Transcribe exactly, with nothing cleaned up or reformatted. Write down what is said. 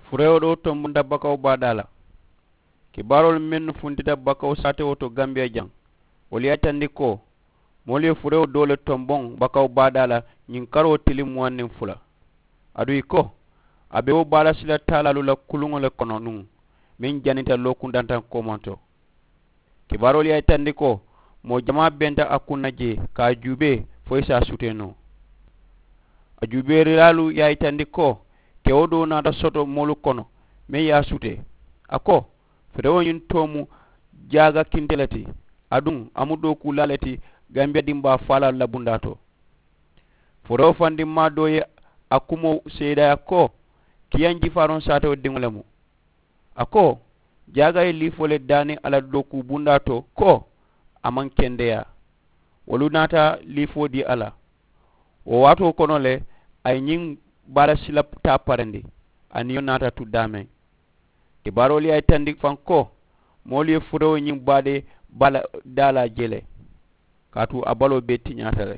Furewo doo tonbonta bakawu baadaa la. Kibaaroolu mennu funtita bakawu saatewo to gambiya jaŋ, wolu ye a yitandi ko moolu ye furewo doo le tonboŋ bakawu baadaa la ñiŋ karoo tiliŋ muwaŋ niŋ fula. Aduŋ ì ko a be wo baala sila taalaalu la kuluŋo le kono nuŋ meŋ janita lookundantaŋ koomaŋ to. Kibaaroolu ye a yitandi ko moo jamaa benta a kuŋ na jee ka a juubee fo ì si a sutee noo. A juubeerilaalu ye a yitandi ko kewo doo naata soto moolu kono meŋ ye a sutee. A ko furewo ñiŋ too mu jaaga kinte le ti, aduŋ a mu dookuulaa le ti gambiya dimbaa faalaalu la bundaa to. Furewo fandimmaa doo ye a kumoo seedeyaa ko kiyaŋ jifaaroŋ saatewo diŋo le mu. A ko jaaga ye liifoo le daani a la dookuu bundaa to ko a maŋ kendeyaa. Wolu naata liifoo dii a la. Wo waatoo kono le a ye ñiŋ baala sila taa parandi. A niyo naata tu daameŋ. Kibaaroolu ye a yitandi faŋ ko moolu ye furewo ñiŋ baadee baala daalaa je le. Kaatu a baloo bee tiñaata le.